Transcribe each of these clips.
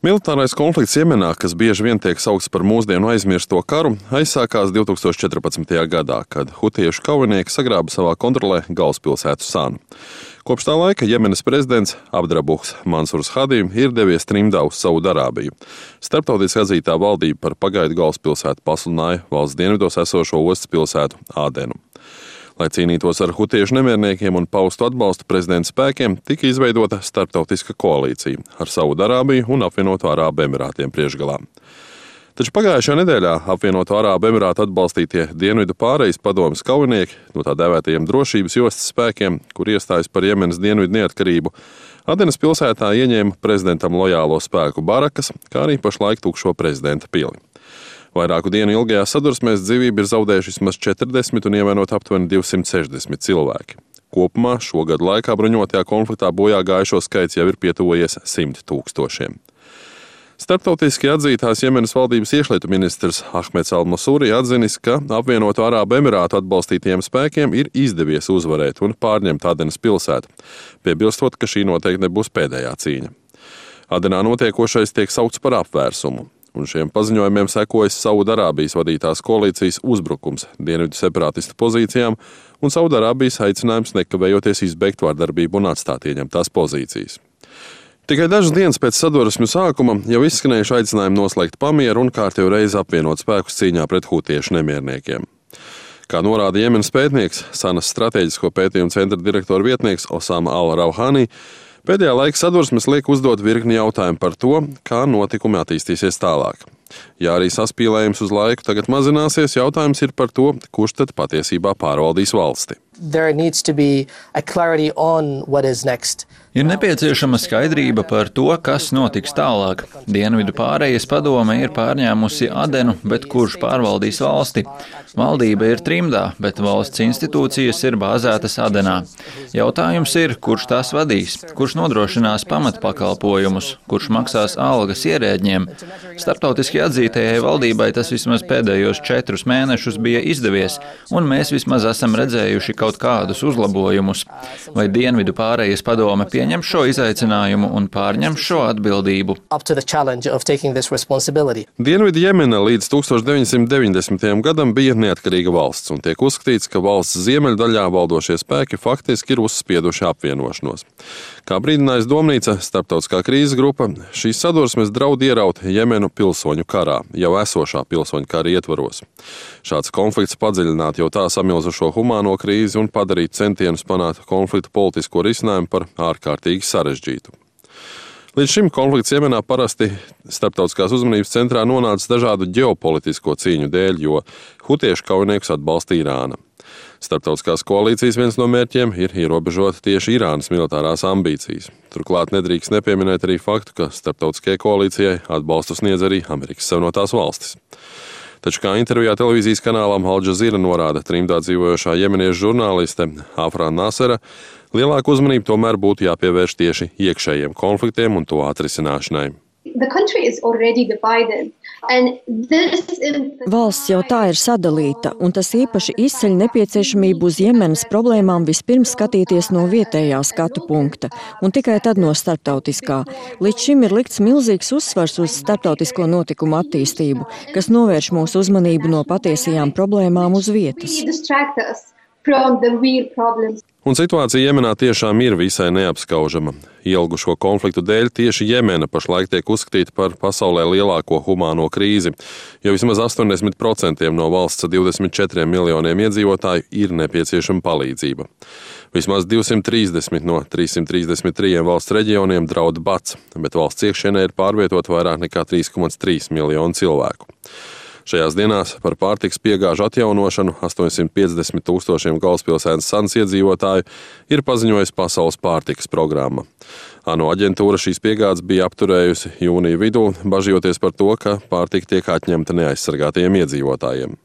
Militārais konflikts Jemenā, kas bieži vien tiek saukts par mūsdienu aizmirsto karu, aizsākās 2014. gadā, kad hutiešu kaujinieki sagrāba savā kontrolē galvaspilsētu Sanu. Kopš tā laika Jemenas prezidents Abdrabuhs Mansurs Hadi ir devies trimdā uz Saudarābiju. Starptautiski atzītā valdība par pagaidu galvaspilsētu pasludināja valsts dienvidos esošo ostas pilsētu Ādenu. Lai cīnītos ar hutiešu nemierniekiem un paustu atbalstu prezidenta spēkiem, tika izveidota starptautiska koalīcija ar Saudarābiju un Apvienoto Arābu Emirātiem priekšgalā. Taču pagājušajā nedēļā Apvienoto Arābu Emirātu atbalstītie Dienvidu pārejas padomes kaujinieki no tā dēvētajiem drošības jostas spēkiem, kur iestājas par Jemenas dienvidu neatkarību, Adenas pilsētā ieņēma prezidentam lojālo spēku barakas, kā arī pašlaik tukšo prezidenta pili. Vairāku dienu ilgajā sadursmēs dzīvību ir zaudējuši vismaz 40 un ievainoti aptuveni 260 cilvēki. Kopumā šogad laikā bruņotajā konfliktā bojā gājušo skaits jau ir pietuvojies 100 000. Starptautiski atzītās Jemenas valdības iekšlietu ministrs Ahmeds Al-Masūri atzinis, ka Apvienoto Arābu Emirātu atbalstītajiem spēkiem ir izdevies uzvarēt un pārņemt Adenas pilsētu, piebilstot, ka šī noteikti nebūs pēdējā cīņa. Adenā notiekošais tiek saukts par apvērsumu. Un šiem paziņojumiem sekojas Saudarābijas vadītās koalīcijas uzbrukums dienvidu separātistu pozīcijām un Saudarābijas aicinājums nekavējoties izbeigt vardarbību un atstāt ieņemtās pozīcijas. Tikai dažas dienas pēc sadursmju sākuma jau izskanējuši aicinājumi noslēgt pamieru un kārtējo reizi apvienot spēkus cīņā pret hutiešu nemierniekiem. Kā norāda Jemenas pētnieks, Sanas strateģisko pētījumu centra direktora vietnieks Osama Al-Rauhani, pēdējā laika sadursmes liek uzdot virkni jautājumu par to, kā notikumi attīstīsies tālāk. Ja arī saspīlējums uz laiku tagad mazināsies, jautājums ir par to, kurš tad patiesībā pārvaldīs valsti. Ir nepieciešama skaidrība par to, kas notiks tālāk. Dienvidu pārejas padome ir pārņēmusi Adenu, bet kurš pārvaldīs valsti? Valdība ir trimdā, bet valsts institūcijas ir bāzētas Adenā. Jautājums ir, kurš tās vadīs, kurš nodrošinās pamatpakalpojumus, kurš maksās algas ierēdņiem. Starptautiski atzītajai valdībai tas vismaz pēdējos 4 mēnešus bija izdevies, un mēs vismaz esam redzējuši kaut kādus uzlabojumus. Vai Dienvidu pārejas padome pieņem šo izaicinājumu un pārņem šo atbildību? Dienvidu Jemena līdz 1990. gadam bija neatkarīga valsts, un tiek uzskatīts, ka valsts ziemeļdaļā valdošie spēki faktiski ir uzspieduši apvienošanos. Kā brīdinājis Domnīca, starptautiskā krīzes grupa, šīs sadursmes draud ieraut Jemenu pilsoņu karā, jau esošā pilsoņu kara ietvaros. Šāds konflikts padziļināt jau tā samilzušo humāno krīzi un padarīt centienus panākt konfliktu politisko risinājumu par ārkārtīgi sarežģītu. Līdz šim konflikts Jemenā parasti starptautiskās uzmanības centrā nonāca dažādu ģeopolitisko cīņu dēļ, jo hutiešu kaujiniekus atbalsta Irāna. Starptautiskās koalīcijas viens no mērķiem ir ierobežot tieši Irānas militārās ambīcijas. Turklāt nedrīkst nepieminēt arī faktu, ka starptautiskajai koalīcijai atbalstu sniedz arī Amerikas Savienotās valstis. Taču, kā intervijā televīzijas kanālam Al Jazeera norāda trimdā dzīvojošā jemeniešu žurnāliste Afra Nasera, lielāku uzmanību tomēr būtu jāpievērš tieši iekšējiem konfliktiem un to atrisināšanai. Valsts jau tā ir sadalīta, un tas īpaši izceļ nepieciešamību uz Jemenas problēmām vispirms skatīties no vietējā skatu punkta, un tikai tad no starptautiskā. Līdz šim ir likts milzīgs uzsvars uz starptautisko notikumu attīstību, kas novērš mūsu uzmanību no patiesajām problēmām uz vietas. Un situācija Jemenā tiešām ir visai neapskaužama. Ilgušo konfliktu dēļ tieši Jemena pašlaik tiek uzskatīta par pasaulē lielāko humāno krīzi, jo vismaz 80% no valsts 24 miljoniem iedzīvotāju ir nepieciešama palīdzība. Vismaz 230 no 333 valsts reģioniem draud bats, bet valsts iekšienē ir pārvietot vairāk nekā 3,3 miljonu cilvēku. Šajās dienās par pārtikas piegāžu atjaunošanu 850 000 galvaspilsētas Sanas iedzīvotāju ir paziņojusi Pasaules pārtikas programma. ANO aģentūra šīs piegādes bija apturējusi jūnija vidū, bažījoties par to, ka pārtika tiek atņemta neaizsargātajiem iedzīvotājiem.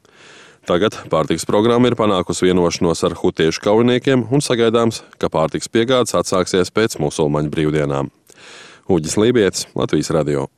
Tagad pārtikas programma ir panākusi vienošanos ar hutiešu kaujiniekiem un sagaidāms, ka pārtikas piegādes atsāksies pēc musulmaņu brīvdienām. Uģis Lībietis, Latvijas radio.